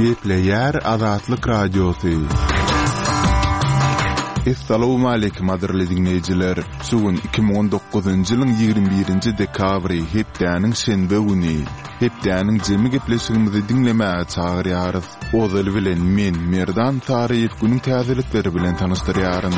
Gepleýär Azatlyk Radiosy. Essalawmaleýkim gadyrly diňleýjiler! Şu gün 2019-njy ýylyň 21-nji dekabry, hepdäniň şenbe güni. Hepdäniň jemi gepleşigimizi diňlemäge çagyrýarys. Ozaly bilen men, Merdan Saryýew günüň täzelikleri bilen tanyşdyrýaryn.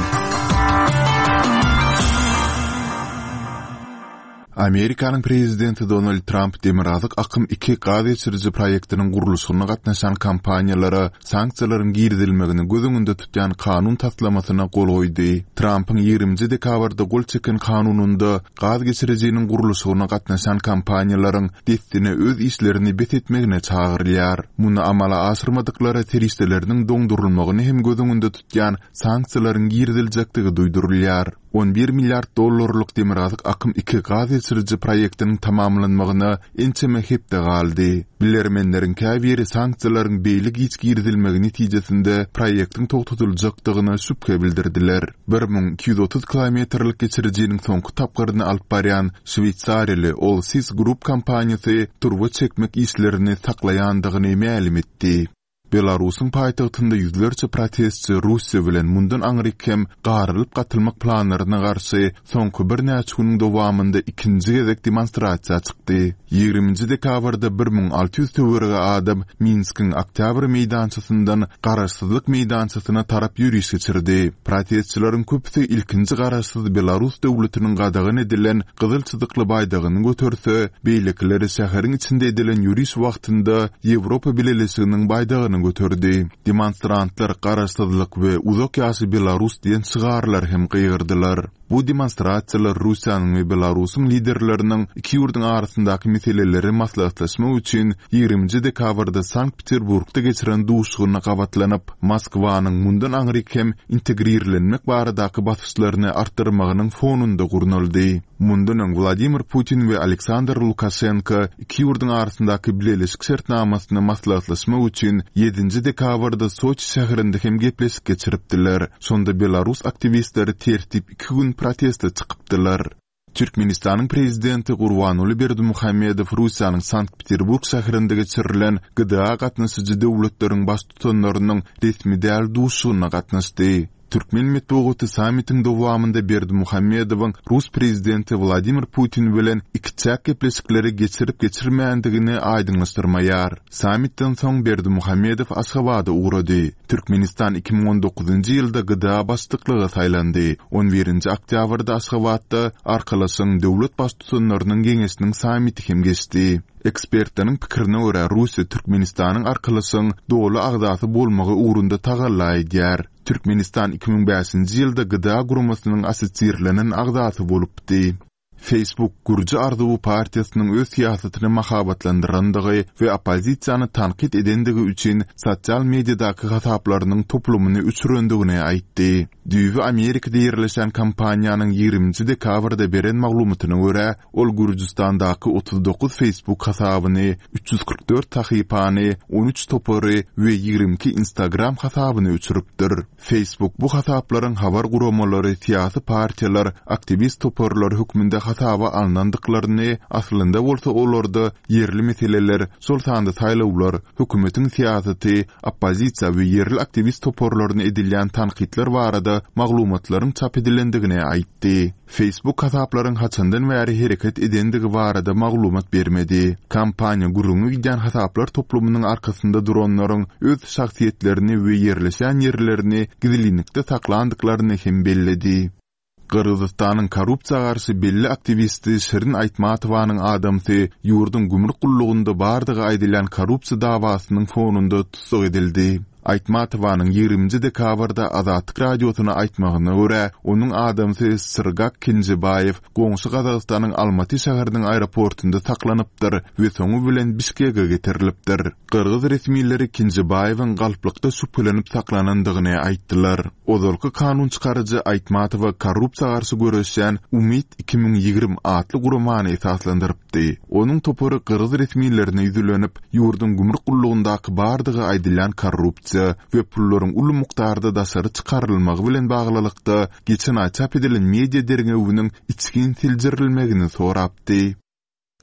Amerikanyň prezidenti Donald Tramp Demirgazyk akym iki gaz geçiriji proýektiniň gurluşygyna gatnaşan kompaniýalara sanksiýalaryň girizilmegini göz öňünde tutýan kanun taslamasyna gol goýdy. Trampyň ýigriminji dekabrda gol çeken kanunynda gaz geçirijiniň gurluşygyna gatnaşan kompaniýalaryň dessine öz işlerini bes etmegine çagyrylýar. Muny amala aşyrmadyklara serişdeleriniň doňdurylmagyny hem göz öňünde tutýan sanksiýalaryň giriziljekdigi duýdurylýar. 11 milliard dollarlyk Demirgazyk akym iki gaz geçiriji proýektiniň tamamlanmagyna ençeme hepde galdy. Bilermenleriň käbiri sanksiýalaryň beýle giç girizilmegi netijesinde proýektiň togtadyljakdygyna şübhe bildirdiler. 1230 kilometrlik geçirijiniň soňky tapgyryny alyp barýan şweýsariýaly Allseas Group kompaniýasy turba çekmek işlerini saklaýandygyny mälim etdi. Belarusyň paýtagtynda ýüzlerçe protestçi Russiýa bilen mundan aňryk hem garylyp-gatylmak planlaryna garşy soňky birnäçe günüň dowamynda ikinji gezek demonstrasiýa çykdy. Ýigriminji dekabrda 1600 töweregi adam Minskiň Oktýabr meýdançasyndan Garaşsyzlyk meýdançasyna tarap ýöriş geçirdi. Protestçileriň köpüsi ilkinji garaşsyz belarus döwletiniň gadagan edilen gyzyl çyzykly baýdagyny göterse, beýlekileri şäheriň içinde edilen ýöriş wagtynda Ýewropa Bileleşiginiň baýdagyny göterdi. Demonstrantlar Garaşsyzlyk we Uzak ýaşa Belarus diýen şygarlary hem gygyrdylar. Bu demonstrasiýalar Russiýanyň we Belarusyň liderleriniň iki ýurduň arasyndaky meseleleri maslahatlaşmak üçin ýigriminji dekabrda Sankt-Peterburgda geçiren duşuşygyna gabatlanyp, Moskwanyň mundan aňryk hem integrirlenmek baradaky basyşlaryny artdyrmagynyň fonunda gurnaldy. Mundan öň Wladimir Putin we Aleksandr Lukaşenko iki ýurduň arasyndaky bileleşik şertnamasyny maslahatlaşmak üçin ýedinji dekabrda Soçi şäherinde hem gepleşik geçiripdiler. Şonda belarus aktiwistleri tertip iki gün proteste çykypdylar. Türkmenistanyň Prezidenti Gurbanguly Berdimuhamedow Russiýanyň Sankt-Peterburg şäherinde geçirilen GDA gatnaşyjy döwletleriň Baştutanlarynyň resmi däl duşuşygyna gatnaşdy. Türkmen metbugaty sammitiň dowamynda Berdimuhamedowyň rus Prezidenti Wladimir Putin bilen ikiçäk gepleşikleri geçirip-geçirmändigini aýdyňlaşdyrmaýar. Sammitden soň Berdimuhamedow Aşgabada ugrady. Türkmenistan 2019-njy ýylda GDA başlyklyga saýlandy. On birinji oktýabrda Aşgabatda Arkalaşygyň döwlet Baştutanlarynyň Geňeşiniň sammiti hem geçdi. Ekspertleriň pikirine görä, Russiýa Türkmenistanyň Arkalaşygyň doly agzasy bolmagy ugrunda tagalla edýär. Türkmenistan 2005-nji ýylda GDA guramasynyň assosirlenen agzasy bolupdy. Facebook Gürji arzuwy partiýasynyň öz syýasatyny mahabatlandyrandygy we oppozisiýany tankyt edendigi üçin sosial mediadaky hasaplarynyň toplumyny öçürendigini aýtdy. Düýbi Amerikada ýerleşen kompaniýanyň ýigriminji dekabrda beren maglumatyna görä, ol Gürjüstandaky 39 Facebook hasabyny, 344 sahypany, 13 topary we 22 Instagram hasabyny öçüripdir. Facebook bu hasaplaryň habar guramalary, syýasy partiýalar, aktiwist toparlar hökmünde hasaba alnandyklaryny, aslynda bolsa olarda ýerli meseleler, şol sanda saýlawlar, hökümetiň syýasaty, oppozisiýa we ýerli aktiwist toparlaryna edilýän tankytlar barada maglumatlaryň çap edilendigini aýtdy. Facebook hasaplaryň haçandan bäri hereket edendigi barada maglumat bermedi. Kompaniýa gürrüňi gidýän hasaplar toplumynyň arkasynda duranlaryň öz şahsyýetlerini we ýerleşýän ýerlerini gizlinlikde saklandyklaryny hem belledi. Gyrgyzystanyň korrupsiýa garşy belli aktiwisti Şirin Aýtmatowanyň adamsy ýurduň gümrük gullugynda bardygy aýdylýan korrupsiýa dawasynyň fonunda tussag edildi. Aýtmatowanyň ýigriminji dekabrda Azatlyk Radiosyna aýtmagyna görä, onuň adamsy Syrgak Kenjebaýew goňşy Gazagystanyň Almaty şäheriniň aeroportunda saklanypdyr we soňy bilen Bişkege getirilipdir. Gyrgyz resmileri Kenjebaýewiň galplykda şübhelenip saklanandygyny aýtdylar. Ozalky kanun çykaryjy Aýtmatowa korrupsiýa garşy göreşýän Umyt 2020 atly guramany esaslandyrypdy. Onuň topary gyrgyz resmilerine ýüzlenip, ýurduň gümrük gullugyndaky bardygy aýdylýan korrupsiýa we pullaryň uly mukdarda daşary çykarylmagy bilen baglylykda geçen aý çap edilen media derňewiniň içgin seljerilmegini sorapdy.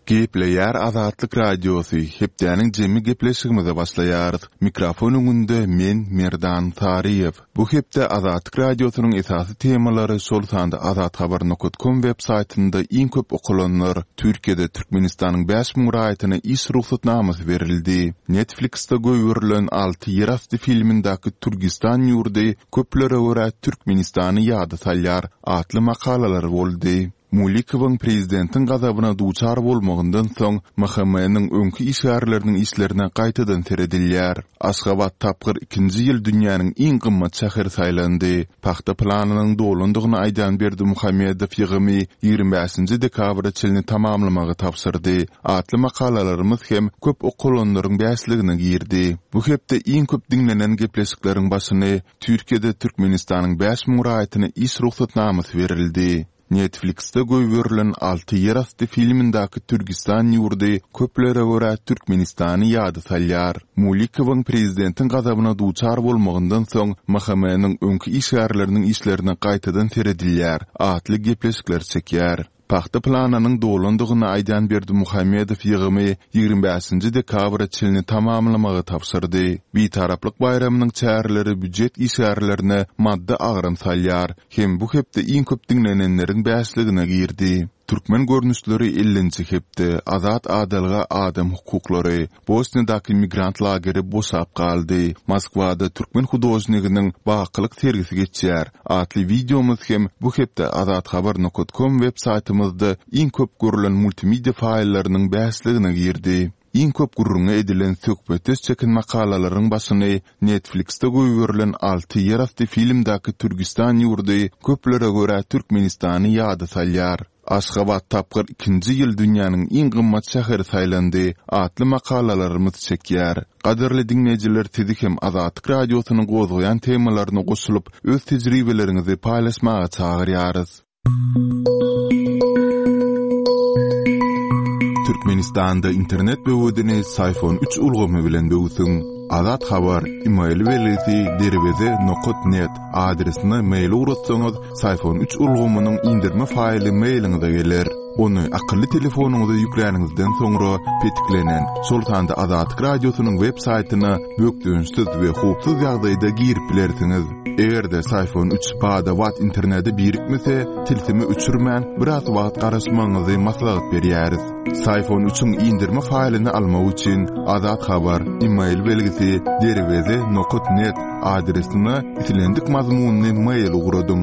Gepleýär Azatlyk Radiosy, Hepdäniň jemi gepleşigimize başlaýarys. Mikrofon öňünde men, Merdan Saryýew. Bu hepde Azatlyk Radiosynyň esasy temalary, şol sanda azathabar nokat kom web saýtynda iň köp okalanlar, Türkiýede Türkmenistanyň 5000 raýatyna iş rugsatnamasy berildi. Netflix-de goýberilen Alty ýerasty filmindäki Türgistan ýurdy köplere görä Türkmenistany ýada salýar atly makalalar boldy. Mulikowyň prezidentiň gazabyna duçar bolmagyndan soň, MHM-niň öňki işgärleriniň işlerine gaýtadan seredilýär. Aşgabat tapgyr ikinji ýyl dünýäniň iň gymmat şäheri saýlandy. Pagta planynyň dolandygyny aýdan Berdimuhamedow ýygymy 25-nji dekabra çenli tamamlamagy tabşyrdy. Atly makalalarymyz hem köp okalanlaryň bäşligine girdi. Bu hepde iň köp diňlenen gepleşikleriň başyny Türkiýede Türkmenistanyň 5000 raýatyna iş rugsatnamasy berildi. Netflix-de goýberilen Alty ýerasty filmindäki Türgistan ýurdy köplere görä Türkmenistany ýada salýar. Mulikowyň prezidentiň gazabyna duçar bolmagyndan soň MHM-niň öňki işgärleriniň işlerine gaýtadan seredilýär atly gepleşikler çekýär. Pagta planynyň dolandygyny aýdýan Berdimuhamedow ýygymy 25-nji dekabra çenli tamamlamagy tabşyrdy. Bitaraplyk baýramynyň çäreleri býujet işgärlerine maddy agram salýar. Hem bu hepde iň köp diňlenenleriň bäşligine girdi. Türkmen görnüşleri ellinji hepde, Azat adalga adam hukuklary, Bosniýadaky migrant lageri boşap galdy, Moskwada türkmen hudožniginiň Bakylyk sergisi geçýär atly wideomyz hem bu hepde azathabar nokat kom web saýtymyzda iň köp görlen multimedia faýllarynyň bäşligine girdi. Iň köp gürrüňi edilen söhbetdeş çeken makalalaryň başyny Netflix-de goýberilen Alty ýerasty filmdäki Türgistan ýurdy köplere görä Türkmenistany ýada salýar. Aşgabat tapgyr ikinji ýyl dünýäniň iň gymmat şäheri saýlandy atly makalalarymyz çekýär. Gadyrly diňleýjiler sizi hem Azatlyk Radiosynyň gozgaýan temalaryna goşulyp öz tejribeleriňizi paýlaşmaga çagyrýarys. Türkmenistanda internet böwedini Syfon 3 ulgamy bilen böwsüň. Azat Habar, email belgisi derweze nokat net adresine mail ugratsaňyz, Syfon 3 ulgamynyň indirme faýly mailiňize geler. Ony akylly telefonyňyza ýükläniňizden soňra petiklenen, şol sanda Azatlyk Radiosynyň web saýtyna bökdençsiz we howpsuz ýagdaýda girip bilersiňiz. Eger-de Syfon 3 bada-bat internete birikmese, tilsimi öçürmän, biraz wagt garaşmagyňyzy maslahat berýäris. Syfon 3-iň indirme faýlyny almak üçin Azat Habar, email belgisi derweze nokat net adresine islendik mazmunly mail ugradyň.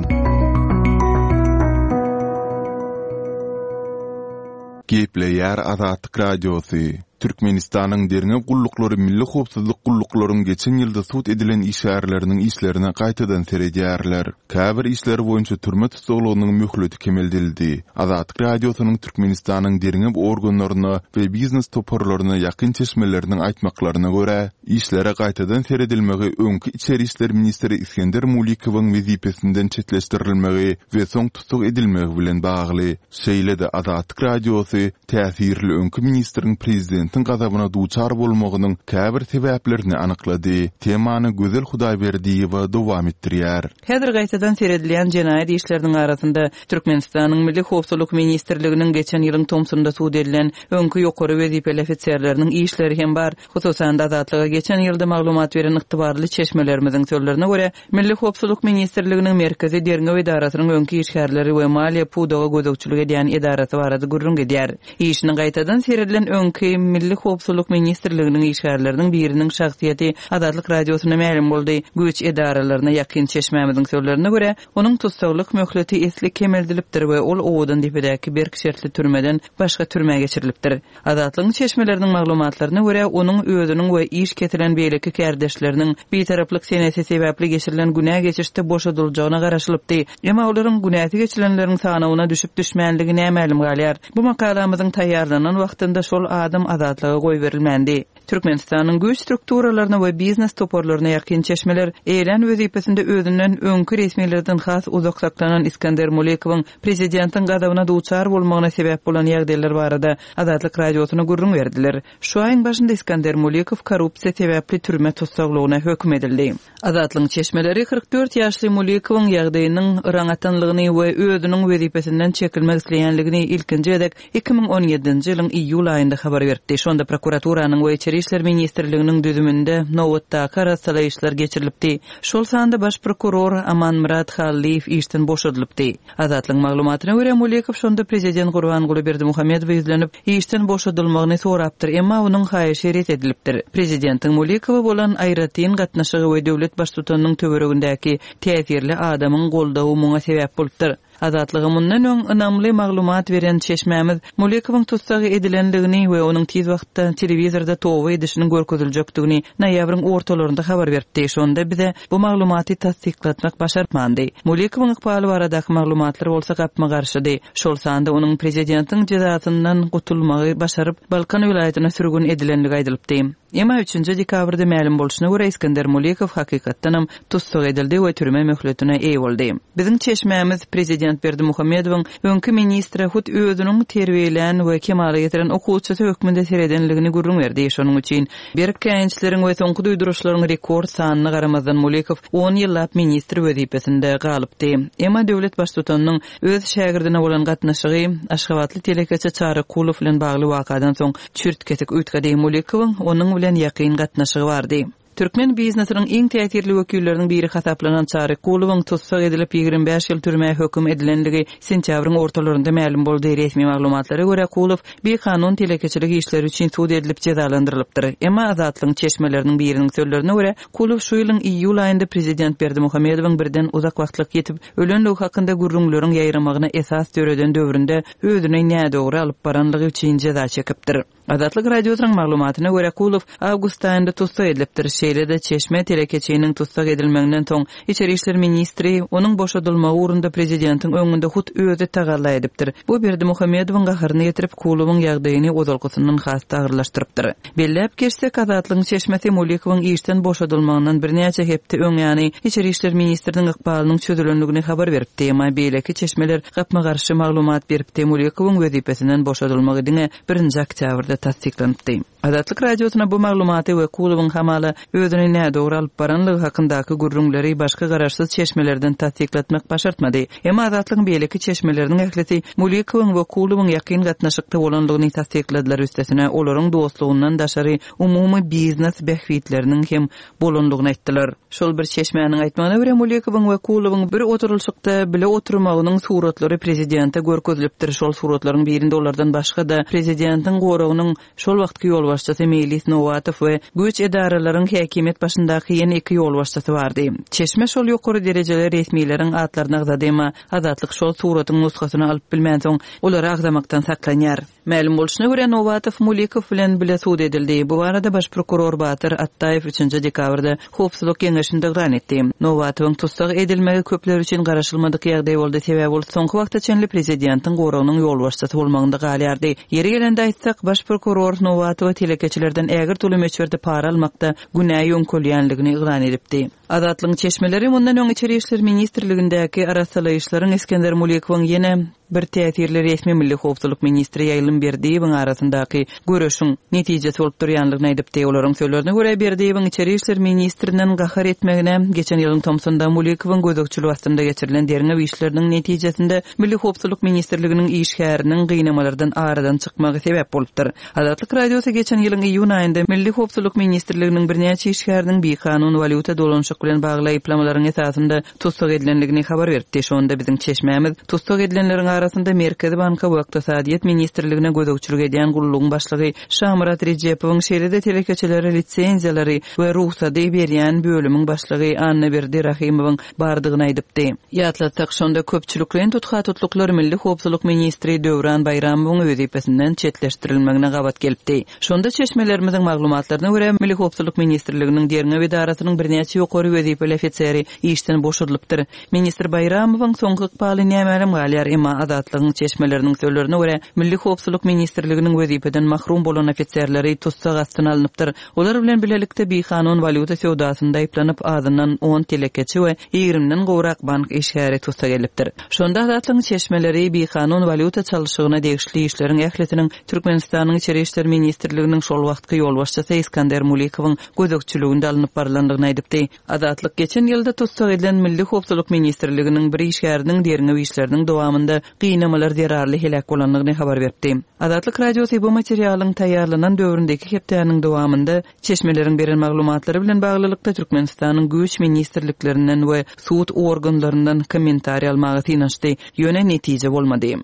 Gepleýär Azatlyk Radiosy. Türkmenistanyň derňew gulluklary milli howpsuzlyk gulluklaryň geçen ýylda sud edilen işgärleriniň işlerine gaýtadan seredýärler. Käbir işler boýunça türme tussaglygynyň möhleti kemeldildi. Azatlyk Radiosynyň Türkmenistanyň derňew organlaryna we biznes toparlaryna ýakyn çeşmeleriniň aýtmaklaryna görä, işlere gaýtadan seredilmegi öňki içeri işler ministri Isgender Mulikowyň wezipesinden çetleşdirilmegi we soň tussag edilmegi bilen bagly. Şeýle-de Azatlyk Radiosy täsirli öňki ministriň prezidentiň gazabyna duçar bolmagynyň käbir sebäplerini anyklady. Temany Gözel Hudaýberdiýewa dowam etdirýär. Häzir gaýtadan seredilýän jenaýat işleriniň arasynda Türkmenistanyň Milli howpsuzlyk ministrliginiň geçen ýylyň tomsunda sud edilen öňki ýokary wezipeli ofiserleriniň işleri hem bar. Hususan-da, Azatlyga geçen ýylda maglumat beren ygtybarly çeşmelerimiziň sözlerine görä, Milli howpsuzlyk ministrliginiň Merkezi derňew edarasynyň öňki işgärleri we maliýe pudaga gözegçilik edýän edarasy barada gürrüň gidýär. Işine gaýtadan seredilen öňki Milli howpsuzlyk ministrliginiň işgärleriniň biriniň şahsyýeti Azatlyk Radiosyna mälim boldy. Güýç edaralaryna ýakyn çeşmämiziň sözlerine görä, onuň tussaglyk möhleti esli kemeldilipdir we ol Owadandepedäki berk şertli türmeden başga türmä geçirilipdir. Azatlygyň çeşmeleriniň maglumatlaryna görä, onuň özüniň we iş kesilen beýleki kärdeşleriniň bitaraplyk senesi sebäpli geçirilen günä geçişde boşadyljagyna garaşylypdy. Emma olaryň günäsi geçilenleriň sanawyna düşüp-düşmänligi nämälim galýar. Bu makalamyzyň taýýarlanan wagtynda şol adam azatlyga goýberilmändi. Türkmenistanyň güýç strukturalaryna we biznes toparlaryna ýakyn çeşmeler, eýelän wezipesinde özünden öňki resmilerden has uzak saklanan Iskender Mulikowyň prezidentiň gazabyna duçar bolmagyna sebäp bolan ýagdaýlar barada Azatlyk Radiosyna gürrüň berdiler. Şu aýyň başynda Iskender Mulikow korrupsiýa sebäpli türme tussaglygyna höküm edildi. Azatlygyň çeşmeleri 44 ýaşly Mulikowyň ýagdaýynyň yraň atanlygyny we özüniň wezipesinden çekilmek isleýänligini ilkinji gezek 2017-nji ýylyň iýul aýynda habar beripdi. Şonda prokuraturanyň we Içeri işler ministrliginiň düzüminde nobatdaky arassalaýyşlar geçirilipdi. Şol sanda baş prokuror Amanmyrat Hallyýew işden boşadylypdy. Azatlygyň maglumatyna görä, Mulikow şonda prezident Gurbanguly Berdimuhamedowa ýüzlenip, işden boşadylmagyny sorapdyr, emma onuň haýyşy ret edilipdir. Prezidentiň Mulikowa bolan aýratyn gatnaşygy we döwlet baştutanynyň töweregindäki täsirli adamyň goldawy muňa sebäp bolupdyr. Azatlyga mundan öň ynamly maglumat beren çeşmämiz Mulikowyň tussag edilendigini we onuň tiz wagtda telewizorda toba edişiniň görkeziljekdigini noýabryň ortalarynda habar beripdi. Şonda bize bu maglumaty tassyklatmak başartmandy. Mulikowyň ykbaly baradaky maglumatlar bolsa gapma-garşydy. Şol sanda onuň prezidentiň jezasyndan gutulmagy başaryp, Balkan welaýatyna sürgün edilendigi aýdylypdy. Emma üçünji dekabrda mälim bolşuna görä, Iskender Mulikow hakykatdanam tussag edildi we türme möhletine eýe boldy. Biziň çeşmämiz prezident Berdimuhamedowyň öňki ministre hut özüniň terbiýelän we kemala getiren okuwçysy hökmünde seredenligini gürrüň berdi. Şonuň üçin berk käýinçleriň we soňky duýduryşlaryň rekord sanyna garamazdan Mulikow on ýyllap ministr wezipesinde galypdy. Emma döwlet baştutanynyň öz şägirdine bolan gatnaşygy aşgabatly telekeçi Çary Kulow bilen bagly wakadan soň çürt-kesik üýtgedi. Mulikowyň onuň bilen ýakyn gatnaşygy bardy. Türkmen biznesiniň iň täsirli wekilleriniň biri hasaplanan Çary Kulowyň tussag edilip, 25 ýyl türmä höküm edilendigi sentýabryň ortalarynda mälim boldy. Resmi maglumatlara görä, Kulow bikanun telekeçilik işleri üçin sud edilip jezalandyrylypdyr. Emma Azatlygyň çeşmeleriniň biriniň sözlerine görä, Kulow şu ýylyň iýul aýynda prezident Berdimuhamedowyň birden uzak wagtlyk ýitip ölenligi hakynda gürrüňleriň ýaýramagyna esas döreden döwründe özüni nädogry alyp baranlygy üçin jeza çekipdir. Azatlyk Radiosynyň maglumatyna görä, Kulow awgust aýynda tussag edilipdir. Şeýle-de, çeşme telekeçiniň tussag edilmeginden soň, içeri işler ministri onuň boşadylmagy ugrunda prezidentiň öňünde hut özi tagalla edipdir. Bu Berdimuhamedowyň gaharyny getirip, Kulowyň ýagdaýyny ozalkysyndan has-da agyrlaşdyrypdyr. Belläp geçsek, Azatlygyň çeşmesi Mulikowyň işden boşadylmagyndan birnäçe hepde öň ýany içeri işler ministriniň ykbalynyň çözülendigini habar beripdi. Emma beýleki çeşmeler gapma-garşy maglumat beripdi, Mulikowyň wezipesinden boşadylmagy diňe birinji oktýabrda tassyklanypdy. Azatlyk Radiosyna bu maglumaty we Kulowyň hamala özüni nädogry alyp baranlygy hakyndaky gürrüňleri başga garaşsyz çeşmelerden tassyklatmak başartmady. Emma Azatlygyň beýleki çeşmeleriniň ählisi Mulikowyň we Kulowyň ýakyn gatnaşykda bolandygyny tassykladylar, üstesine, olaryň dostlugyndan daşary umumy biznes bähbitleriniň hem bolandygyny aýtdylar. Şol bir çeşmäniň aýtmagyna görä, Mulikowyň we Kulowyň bir oturylyşykda bile oturmagynyň suratlary prezidente görkezilipdir. Şol suratlaryň birinde olardan başga-da, prezidentiň goragynyň Şol wagtky ýolbaşçysy Meýlis Nowatow we güýç edaralaryň häkimiýet başyndaky ýene iki ýolbaşçysy bardy. Çeşme şol ýokary derejeli resmileriň atlaryny agzady, emma Azatlyk şol suratyň nusgasyny alyp bilmänsoň, olary agzamakdan saklanýar. Mälim bolşuna görä, Nowatow Mulikow bilen bile sud edildi. Bu barada baş prokuror Batyr Atdaýew üçünji dekabrda Howpsuzlyk geňeşinde yglan etdi. Nowatowyň tussag edilmegi köpler üçin garaşylmadyk ýagdaý boldy, sebäbi ol soňky wagta çenli prezidentiň goragynyň ýolbaşçysy bolmagynda galýardy. Ýeri gelende aýtsak, baş prokuror Nowatowa telekeçilerden ägirt uly möçberde para almakda günä ýöňkelýänligini yglan edipdi. Azatlygyň çeşmeleri mundan öň Içeri işler ministrligindäki arassalaýyşlaryň Isgender Mulikowyň ýene bir täsirli resmi milli howpsuzlyk ministri Ýaýlym Berdiýewiň arasyndaky göreşiň netijesi bolup durýanlygyny aýdypdy. Olaryň sözlerine görä, Berdiýewiň içeri işler ministrinden gahar etmegine geçen ýylyň tomsunda Mulikowyň gözegçiligi astynda geçirilen derňew işleriniň netijesinde Milli howpsuzlyk ministrliginiň işgäriniň gynamalardan aradan çykmagy sebäp bolupdyr. Azatlyk Radiosy geçen ýylyň iýun aýynda Milli howpsuzlyk ministrliginiň birnäçe işgäriniň bikanun walýuta dolanyşyk bilen bagly aýyplamalaryň esasynda tussag edilendigini habar beripdi. Şonda biziň çeşmämiz tussag edilenleriň arasynda Merkezi banka we Ykdysadyýet ministrligine gözegçilik edýän gullugyň başlygy Şamyrat Rejepowyň, şeýle-de telekeçilere lisenziýalary we rugsady berýän bölümiň başlygy Annaberdi Rahymowyň bardygyny aýdypdy. Ýatlatsak, şonda köpçülikleýin tutha-tutluklar milli howpsuzlyk ministri Döwran Baýramowyň wezipesinden çetleşdirilmegine gabat gelipdi. Şonda çeşmelerimiziň maglumatlaryna görä, Milli howpsuzlyk ministrliginiň derňew edarasynyň birnäçe ýokary wezipeli ofiseri işden boşadylypdyr. Ministr Baýramowyň soňky ykbaly nämälim galýar, emma. Azatlygyň çeşmeleriniň sözlerine görä, Milli howpsuzlyk ministrliginiň wezipeden mahrum bolan ofiserleri tussag astyna alnypdyr. Olar bilen bilelikde bikanun walýuta söwdasynda aýyplanyp, azyndan on telekeçi we ýigrimiden gowrak bank işgäri tussag edilipdir. Şonda Azatlygyň çeşmeleri bikanun walýuta çalşygyna degişli işleriň ählisiniň Türkmenistanyň Içeri işler ministrliginiň şol wagtky ýolbaşçysy Iskander Mulikowyň gözegçiliginde alnyp barylandygyny aýdypdy. Azatlyk geçen ýylda tussag edilen Milli howpsuzlyk ministrliginiň bir işgäriniň derňew işleriniň dowamynda gynamalar zerarly heläk bolandygyny habar beripdi. Azatlyk Radiosy bu materialyň taýýarlanan döwründäki hepdäniň dowamynda çeşmeleriň beren maglumatlary bilen baglylykda Türkmenistanyň güýç ministrliklerinden we sud organlaryndan kommentariý almaga synanyşdy, ýöne netije bolmady.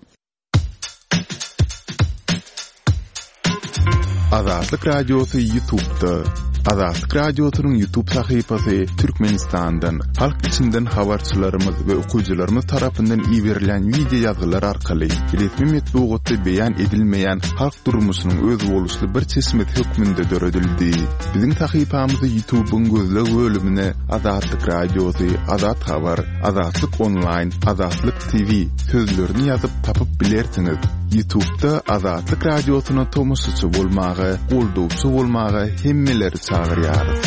Azatlyk Radiosy YouTube'da. Azatlyk Radiosynyň YouTube sahypasy Türkmenistandan, halk içinden habarçylarymyz we okyjylarymyz tarapyndan iberilýän wideo ýazgylar arkaly resmi metbugatda beýan edilmeýän halk durmuşynyň özboluşly bir çeşmesi hökmünde döredildi. Biziň sahypamyzy YouTube'yň gözleg bölümine Azatlyk Radiosy, Azat Habar, Azatlyk Onlaýn, Azatlyk TV sözlerini ýazyp tapyp bilersiňiz. Ýutubda Azatlyk Radiosyna tomaşaçy bolmaga, goldawçy bolmaga hemmeleri çagyrýarys.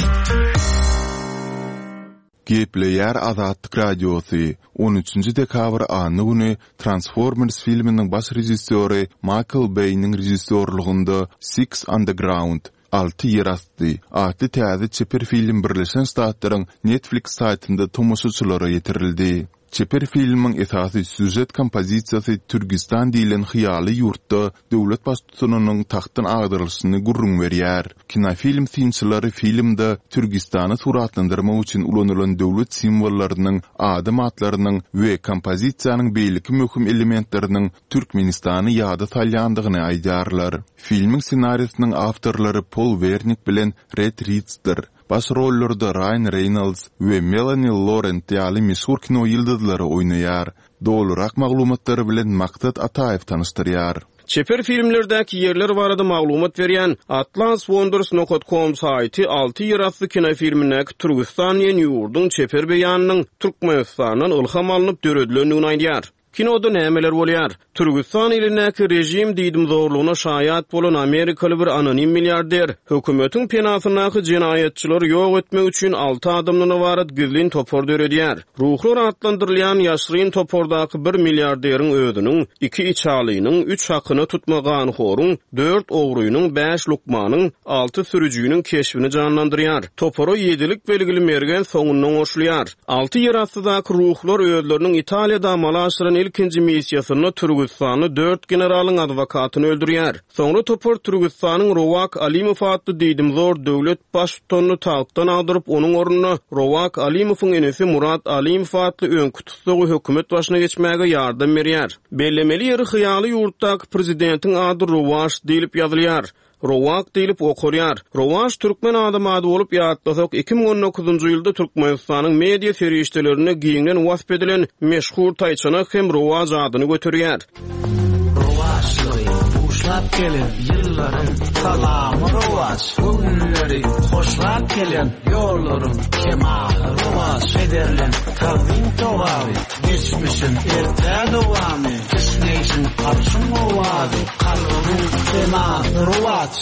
Gepleýär Azatlyk Radiosy, On üçünji dekabr anna güni Transformers filminiň baş režissýory Maýkl Beýniň režissýorlygynda Six Underground, Alty ýerasty, atly täze çeper film Birleşen Ştatlaryň Netflix saýtynda tomaşaçylara ýetirildi. Çeper filmiň esasy sýužet kompozisiýasy Türgistan diýlen hyýaly ýurtda döwlet baştutanynyň tagtdan agdarylyşyny gürrüň berýär. Kinofilm synçylary filmde Türgistany suratlandyrmak üçin ulanylan döwlet simwollarynyň, adam atlarynyň we kompozisiýanyň beýleki möhüm elementleriniň Türkmenistany ýada salýandygyny aýdýarlar. Filmiň ssenarisiniň awtorlary Pol Wernik bilen Red Ritsdir. Baş rollarda Raýan Reýnolds we Melani Lorent ýaly meşhur kino ýyldyzlary oýnaýar. Dolurak maglumatlary bilen Maksat Ataýew tanyşdyrýar. Çeper filmlerdäki ýerler barada maglumat berýän Atlas Wonders nokat kom saýty Alty ýerasty kinofilmindäki Türgüstan diýen ýurduň çeper beýanynyň Türkmenistandan ylham alnyp döredilendigini aýdýar. Kinoda nämeler bolýar? Türgüstan ilindäki režim diýdimzorlugyna şaýat bolan amerikaly bir anonim milliarder, hökümetiň penasyndaky jenaýatçylary ýok etmek üçin alty adamdan ybarat gizlin topar döredýär. Ruhlar atlandyrylýan ýaşryn topardaky bir milliarderiň özüniň, iki içalynyň, üç hakyna tutma ganhoryň, dört ogrynyň, bäş lukmanyň, alty sürüjiniň keşbini janlandyrýar. Topara ýedilik belgili mergen soňundan goşulýar. Alty ýerastydaky ruhlar özleriniň Italiýada amala aşyran ilkinji missiýasynda türgüstanly dört generalyň adwokatyny öldürýär. Soňra topar Türgüstanyň Rowak Alimow atly diýdimzor döwlet baştutanyny tagtdan agdaryp, onuň ornuna Rowak Alimowyň inisi Murat Alimow atly öňki tussagy hökümet başyna geçmäge ýardam berýär. Bellemeli ýeri hyýaly ýurtdaky prezidentiň ady Rowaş diýlip ýazylýar. Rowak diýlip okalýar. Rowaç türkmen adam ady bolup ýatlasak, 2019-njy ýylda Türkmenistanyň media serişdelerinde giňden wasp edilen meşhur taýçanak hem Rowaç adyny göterýär. Rowaçlygy buşlap gelen ýyllaryň salamy rowaç, Göwünleri hoşlap gelen ýollaryň kemaly rowaç, Pederleň tagzym togaby, Geçmişiň ertä dowamy, Kişňeýşiň arşyň owazy, Kalbymyň senasy rowaç.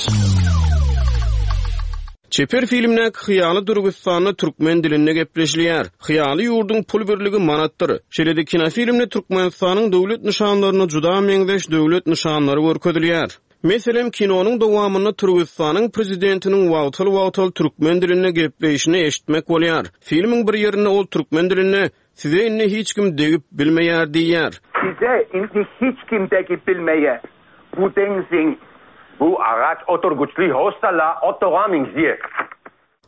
Çeper filmdäki hyýaly Dürgüstanda türkmen dilinde gepleşilýär. Hyýaly ýurduň pul birligi manatdyr. Şeýle-de kinofilmde Türkmenistanyň döwlet nyşanlaryna juda meňzeş döwlet nyşanlary görkezilýär. Meselem, kinonyň dowamynda Türgüstanyň prezidentiniň wagtal-wagtal türkmen dilinde gepleýşini eşitmek bolýar. Filmiň bir ýerinde ol türkmen dilinde Size indi hiç kim degip bilmeýär diýýär. Size indi hiç kim degip bilmeýär. Bu deňziň. Bu agaç oturgyçly hostala otaga meňzeýär.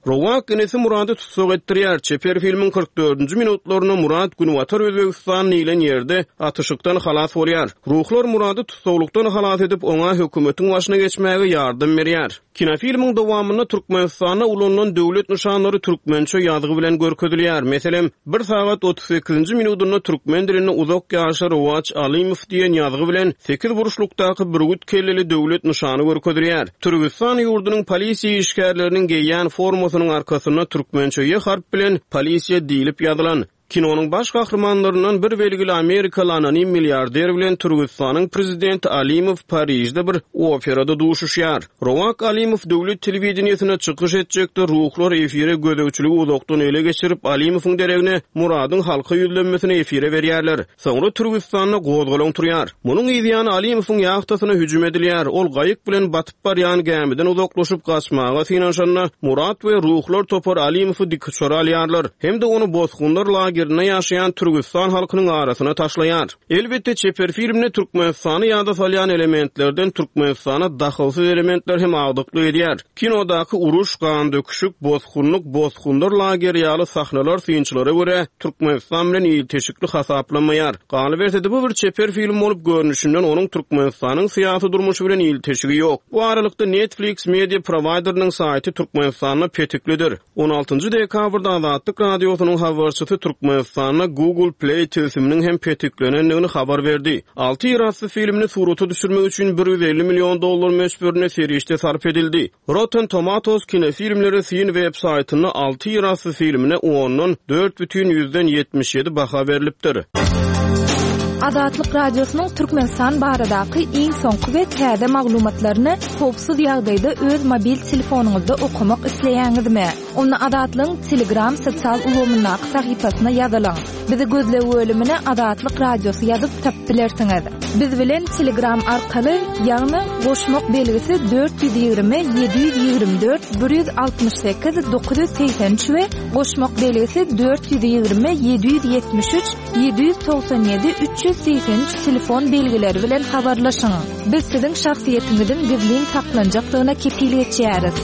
Rowak inisi Murady tussag etdirýär. Çeper filmiň 44-nji minutlarynda Murat Günbatar Özbegistan diýlen ýerde atyşykdan halas bolýar. Ruhlar Murady tussaglykdan halas edip, oňa hökümetiň başyna geçmäge ýardam berýär. Kinofilmiň dowamynda Türkmenistanda ulanylan döwlet nyşanlary türkmençe ýazgy bilen görkezilýär. Meselem, bir sagat 38-nji minudynda türkmen dilinde Uzak ýaşa Rowaç Alymow diýen ýazgy bilen sekizburçlukdaky bürgüt kelleli döwlet nyşany görkezilýär. Türgüstan ýurdunyň polisiýa işgärleriniň geýýän formasynyň arkasynda türkmençe ýe harp bilen Polisiýa diýlip ýazylan. Kinonyň baş gahrymanlaryndan bir belgili amerikaly anonim milliarder bilen Türgüstanyň prezidenti Alimow Parižde bir operada duşuşýar. Rowak Alimow döwlet telewideniýesinde çykyş etjekde ruhlar efire gözegçiligi uzakdan ele geçirip Alimowyň deregine Muradyň halka ýüzlenmesini efire berýärler. Soňra Türgüstanda gozgalaň turýar. Munuň yzýany Alimowyň ýahtasyna hüjüm edilýär. Ol gaýyk bilen batyp barýan gämiden uzaklaşyp gaçmaga synanyşanda, Murat we ruhlar topary Alimowy dikuçara alýarlar hem-de ony bosgunlar lagerinde ýaşaýan Türgüstan halkynyň arasyna taşlaýar. Elbetde, çeper filmde Türkmenistany ýada salýan elementlerden Türkmenistana dahylsyz elementler hem agdyklyk edýär. Kinodaky uruş, gandöküşik, bosgunlyk, bosgunlar lageri ýaly sahnalar synçylara görä, Türkmenistan bilen ilteşikli hasaplanmaýar. Galyberse-de, bu bir çeper film bolup, görnüşinden onuň Türkmenistanyň syýasy durmuşy bilen ilteşigi ýok. Bu aralykda, Netflix media prowaýderiniň saýty Türkmenistanda petiklidir. On altynjy dekabrda Azatlyk Radiosynyň habarçysy Türkmenistanda Google Play tilsiminiň hem petiklenendigini habar berdi. Alty ýerasty filmini surata düşürmek üçin 150 million dollar möçberinde serişde sarp edildi. Rotten Tomatoes kinofilmlere syn web saýtynda Alty ýerasty filmine ondan dört bütin ýüzden 77 baha berlipdir. Azatlyk Radiosynyň Türkmenistan baradaky iň soňky we täze maglumatlaryny howpsuz ýagdaýda öz mobil telefonyňyzda okamak isleýäňizmi? Onda Azatlygyň Telegram sosial ulgamyndaky sahypasyna ýazylyň. Bizi gözleg bölümine Azatlyk Radiosy ýazyp tapyp bilersiňiz. Biz bilen Telegram arkaly, ýagny goşmak belgisi 420 724 168 983 we goşmak belgisi 420 773 797 383 telefon belgileri bilen habarlaşyň. Biz siziň şahsyýetiňiziň gizlin saklanjakdygyna kepil geçýäris.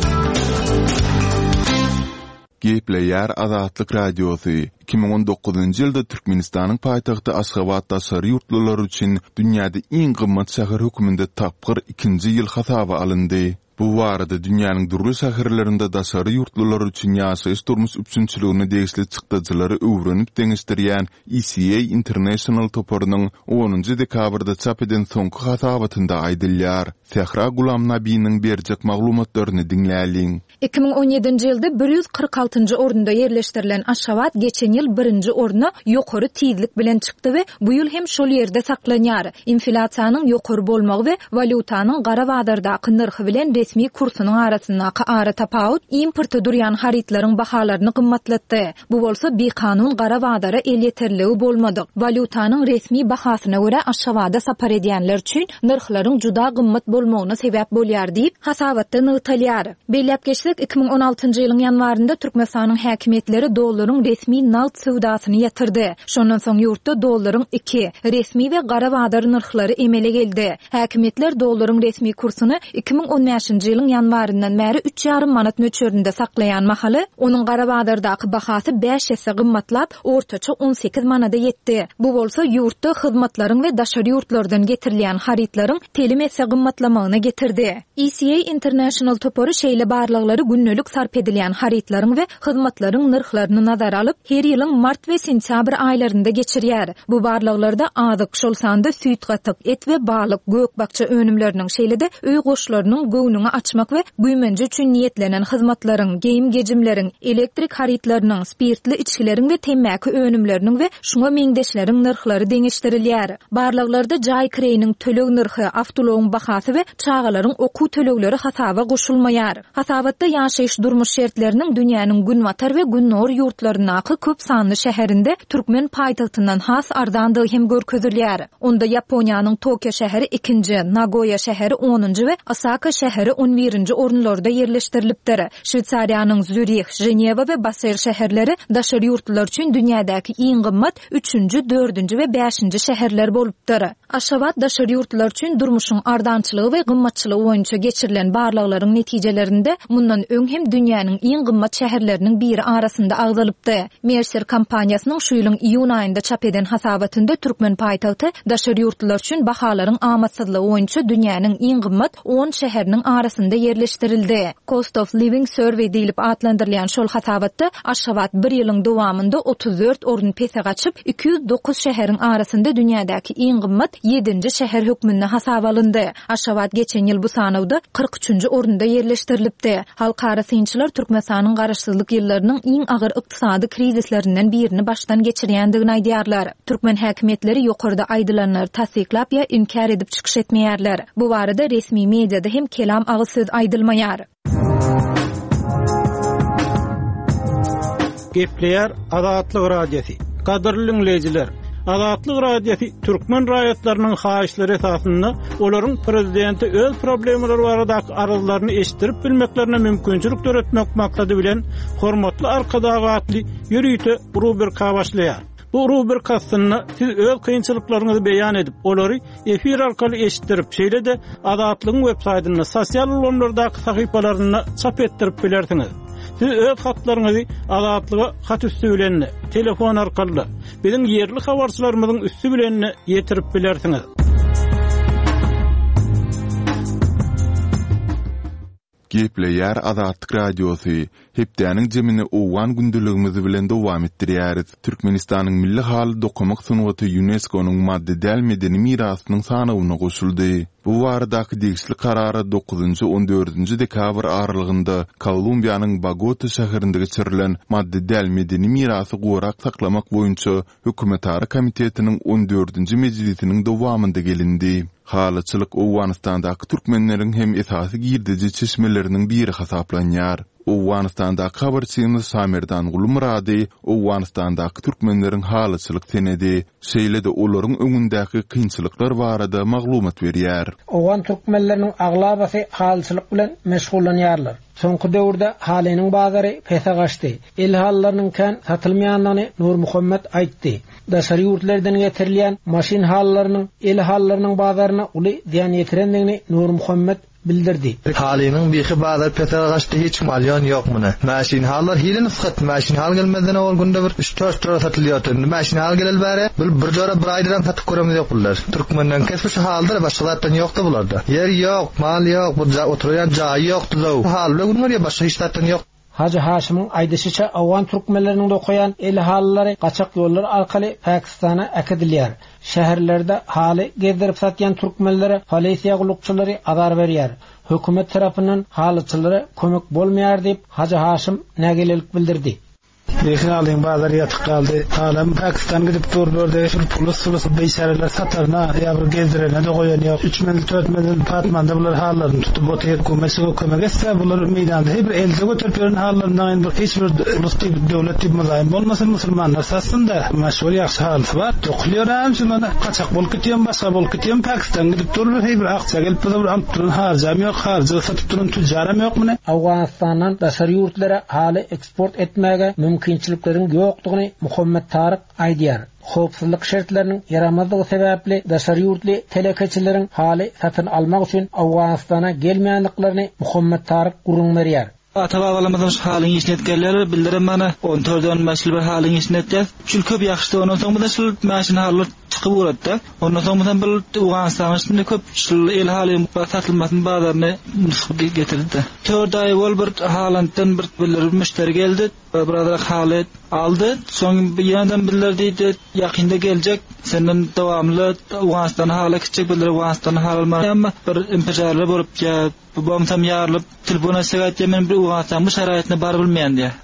Gepleýär Azatlyk Radiosy, 2019-njy ýylda Türkmenistanyň paýtagty Aşgabat daşary ýurtlular üçin dünýäde iň gymmat şäher hökmünde tapgyr ikinji ýyl hasaba alyndy. Bu barada dünýäniň dürli şäherlerinde daşary ýurtlular üçin ýaşaýyş-durmuş üpjünçiligine degişli çykdajylary öwrenip deňeşdirýän ECA International toparynyň onunjy dekabrda çap eden soňky hasabatynda aýdylýar. Sähra Gulamnabiniň berjek maglumatlaryny diňläliň. 2017-nji ýylda 146-njy orunda ýerleşdirilen Aşgabat geçen ýyl birinji orna ýokary tizlik bilen çykdy we bu ýyl hem şol ýerde saklanýar. Inflýasiýanyň ýokary bolmagy we walýutanyň gara bazardaky nyrhy bilen resmi kursunyň arasyndaky aratapawut importa durýan harytlaryň bahalaryny gymmatlatdy. Bu bolsa bikanun gara bazara elýeterliligi bolmadyk, walýutanyň resmi bahasyna görä Aşgabada sapar edýänler üçin nyrhlaryň juda gymmat bolmagyna sebäp bolýar diýip, hasabatda nygtalýar. Belläp geçsek, 2016-njy ýylyň ýanwarynda Türkmenistanyň häkimiýetleri dollaryň resmi nagt söwdasyny ýatyrdy. Şondan soň ýurtda dollaryň iki, resmi we gara bazar nyrhlary emele geldi. Häkimiýetler dollaryň resmi kursuny 2015-nji ýylyň ýanwaryndan bäri üç ýarym manat möçberinde saklaýan mahaly, onuň gara bazardaky bahasy bäş esse gymmatlap, ortaça 18 manada ýetdi. Bu bolsa ýurtda hyzmatlaryň we daşary ýurtlardan getirilýän harytlaryň telim esse gymmatlamagyna getirdi. ECA International topary şeýle barlaglary gündelik sarp edilýän harytlaryň we hyzmatlaryň nyrhlaryny nazara alyp, her ýylyň mart we sentýabr aýlarynda geçirýär. Bu barlaglarda azyk, şol sanda süýt-gatyk, et we balyk, gök-bakja önümleriniň, şeýle-de öý goşlarynyň, göwnüňi açmak we güýmenje üçin niýetlenen hyzmatlaryň, geýim-gejimleriň, elektrik harytlarynyň, spirtli içgileriň we temmäki önümleriniň we şuňa meňzeşleriň nyrhlary deňeşdirilýär. Barlaglarda jaý kireýiniň töleg nyrhy, awtoulagyň bahasy we çagalaryň okuw tölegleri hasaba goşulmaýar. Hasabatda ýaşaýyş-durmuş şertleriniň dünýäniň günbatar we gündogar ýurtlaryndaky köp sanly şäherinde türkmen paýtagtyndan has arzandygy hem görkezilýär. Onda Ýaponiýanyň Tokio şäheri ikinji, Nagoýa şäheri onunjy we Osaka şäheri on birinji orunlarda ýerleşdirilipdir. Şweýsariýanyň Zýurih, Ženewa we Basel şäherleri daşary ýurtlular üçin dünýädäki iň gymmat üçünji, dördünji we bäşinji şäherler bolupdyr. Aşgabat daşary ýurtlular üçin durmuşyň arzançylygy we gymmatçylygy boýunça geçirilen barlaglaryň netijelerinde mundan öň hem dünýäniň iň gymmat şäherleriniň biri arasynda agzalypdy. Mercer kompaniýasynyň şu ýylyň iýun aýynda çap eden hasabatynda türkmen paýtagty daşary ýurtlular üçin bahalaryň amatsyzlygy boýunça dünýäniň iň gymmat on şäheriniň arasynda. arasynda ýerleşdirildi. Cost of Living Survey diýlip atlandyrylýan şol hasabatda Aşgabat bir ýylyň dowamynda 34 orun pese gaçyp, 209 şäheriň arasynda dünýädäki iň gymmat ýedinji şäher hökmünde hasaba alyndy. Aşgabat geçen ýyl bu sanawda 43 üçünji orunda ýerleşdirilipdi. Halkara synçylar Türkmenistanyň garaşsyzlyk ýyllarynyň iň agyr ykdysady krizislerinden birini başdan geçirýändigini aýdýarlar. Türkmen häkimiýetleri ýokarda aýdylanlary tassyklap ýa inkär edip çykyş etmeýärler. Bu barada resmi mediada hem kelam agyz söz aýdylmaýar. Gepleýär Azatlyk Radiosy. Gadyrly diňleýjiler! Azatlyk Radiosy türkmen raýatlarynyň haýyşlary esasynda olaryň prezidente öz problemalary baradaky arzlaryny eşitdirip bilmeklerine mümkinçilik döretmek maksady bilen Hormatly Arkadag atly ýörite rubrika başlaýar. Bu rubrika astynda siz öz kynçylyklaryňyzy beýan edip, olary efir arkaly eşitdirip, şeýle-de Azatlygyň websaýtynda, sosial ulgamlardaky sahypalarynda çap etdirip bilersiňiz. Siz öz hatlaryňyzy Azatlyga hat üsti bilen-de, telefon arkaly-da, biziň ýerli habarçylarymyzyň üsti bilen-de ýetirip bilersiňiz. Gepleýär Azatlyk Radiosy, Hepdäniň jemini owgan gündeligimiz bilen dowam etdirýäris. Türkmenistanyň milli haly dokamak sungaty ÝUNESKO-nyň maddy däl medeni mirasynyň sanawyna goşuldy. Bu baradaky degişli karara dokuzynjy, on dördünji dekabr aralygynda Kolumbiýanyň Bogota şäherinde geçirilen maddy däl medeni mirasy gorap saklamak boýunça Hökümetara komitetiniň on dördünji mejlisiniň dowamynda gelindi. Halyçylyk Owganystandaky türkmenleriň hem esasy girdeji çeşmeleriniň biri hasaplanýar. Owganystandaky habarçymyz Şamerdan Gulumyrady Owganystandaky türkmenleriň halyçylyk senedi, şeýle-de olaryň öňündäki kynçylyklar barada maglumat berýär. Owgan türkmenleriniň aglabasy halyçylyk bilen meşgullanýarlar. Soňky döwürde halynyň bazary pese gaçdy. El halylarynyň kän satylmaýandygyny Nurmuhammet aýtdy. Daşary ýurtlardan getirilýän maşyn halylarynyň el halylarynyň bazaryna uly zyýan ýetirendigini Nurmuhammet bildirdi. Halynyň bihi bazary pese gaçdy hiç kim alýan ýok muny. Maşyn halylar hili nusgat maşyn haly gelmezden owal günde bir üç dört jora satylýardy indi maşyn haly geleli bäri bil bir jora bir aýdanam satyp göremiz ýok bular. Türkmenden kesbi şu halydyr başga zatdan ýokda bularda. Ýer ýok mal ýok bu oturýan jaýy ýok düzüw haly bilen gün görýär başga hiç zatdan ýok. Hajy Haşymyň aýdyşyça, owgan türkmenleriniň dokaýan el halylary gaçak ýollar arkaly Pakistana äkidilýär. Şäherlerde haly gezdirip satýan türkmenlere polisiýa gullukçylary azar berýär. Hökümet tarapyndan halyçylara kömek bolmaýar diýip, Hajy Haşym nägilelik bildirdi. Lekin alyň bazar ýatyk galdy. Halam Pakistan gidip dur bu ýerde bir pulus sulus biçäreler sataryna ýa bir gezdirene-de goýan ýok. Üç menzil tört menzil patmanda bular hallaryny tutup otyr. Hökümet şuňa kömek etse bular meýdanda her bir elde göterip ýören hallaryndan indi bir hiç bir ulus diýip döwlet diýip mylaýym bolmasyn musulmanlar satsyn-da. Maşgul ýagşy halysy bar. Dokulýar hem şu mana gaçak bolup gitýän başga bolup gitýän Pakistan gidip dur bir heý bir akja gelip bize bir alyp duran haryjam ýok haryja satyp duran tüjjaram ýok muny. Owganystandan daşary ýurtlara haly eksport etmäge mümkinçilikleriň ýokdugyny Muhammet Taryk aýdýar. Howpsuzlyk şertleriniň ýaramazdygy sebäpli daşary ýurtly telekeçileriň haly satyn almak üçin Owganystana gelmeýändiklerini Muhammet Taryk gürrüň berýär. Ata-babalarymyzam şu halyň işini edip gelýärler, bizlerem mana on dört-on bäş ýyl bir halyň işini etýäs. Şul köp ýagşydy, ondan soň bize şul maşyn halylar çykyp ugrady-da. Ondan soň bizem bir Owganystanyň içinde köp şul el halyň satylmasyny bazaryny nusga getirdi-de. Tört aý owal bir Hollanddan bir bir müşderi geldi, birazrak haly aldy. Soň ýeneden bizler diýdi, ýakynda geljek, senden dowamly Owganystana haly äkitjek, bizler Owganystana haly almaga emma bir impijarlar bolup ýa bolmasam ýarylyp telefon açsak aýtýar men bir Owganystanyň bu şaraýatyna barybilmeýän diýýär.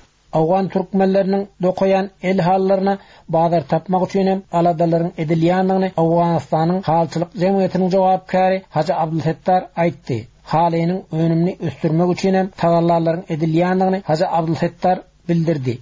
Owgan türkmenleriniň dokaýan el halylaryna bazar tapmak üçin hem aladalaryň edilýändigini Owganystanyň halyçylyk jemgyýetiniň jogapkäri Hajy Abdulsetdar aýtdy. Halynyň önümini ösdürmek üçin hem tagallalaryň edilýändigini Hajy Abdulsetdar bildirdi.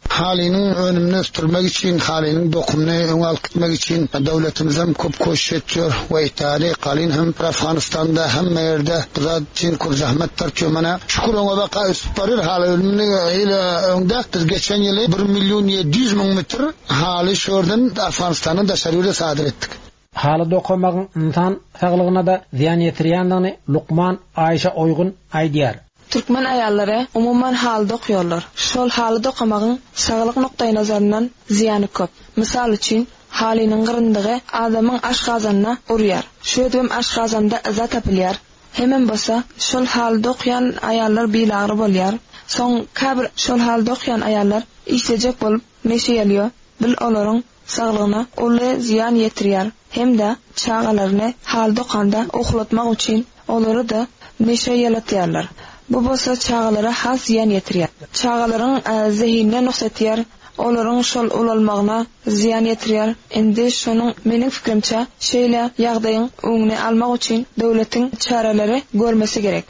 Halynyň önümini ösdürmek üçin, halynyň dokumyny öňe alyp gitmek üçin döwletimizem köp koşiş etýär we Italiýa, Kalin hem Afganystanda hemme ýerde bu zat üçin köp zähmet tartýar. Mana şükür öňe baka ösüp barýar haly önümini hili öňde biz geçen ýyly bir million 700 müň metr haly şu ýerden Afganistandan daşary ýurda sadyr etdik. Haly dokamagyň ynsan saglygyna-da zyýan ýetirýändigini lukman Aýşa Oýgun aýdýar. Türkmen aýallary umuman haly dokýarlar. Şol haly dokamagyň saglyk nukdaýnazaryndan zyýany köp. Mysal üçin, halynyň gyryndygy adamyň aşgazanyna urýar. Şeýdibem aşgazanda yza tapylýar. Hemem bolsa şol haly dokýan aýallar bilagry bolýar. Soň käbir şol haly dokýan aýallar işlejek bolup neşe ýalýo, bil olaryň saglygyna uly zyýan ýetirýär hem-de çagalaryny haly dokanda uwlatmak üçin olary-da neşe ýalatýarlar. Bu bolsa çagalara has zyýan ýetirýär. Çagalaryň zehinine nuks etýär, olaryň şol ulalmagyna zyýan ýetirýär. Indi şonuň meniň pikirimçe şeýle ýagdaýyň öňüni almak üçin döwletiň çäreleri görmesi gerek.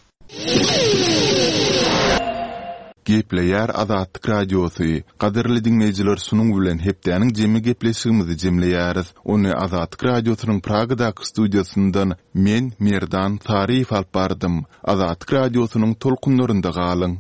Gepleýär Azatlyk Radiosy, Gadyrly diňleýjiler şunuň bilen hepdäniň jemi gepleşigimizi jemleýäris. Ony Azatlyk Radiosynyň Pragadaky studiýasyndan men, Merdan Taryýew alyp bardym. Azatlyk Radiosynyň tolkunlarynda galyň!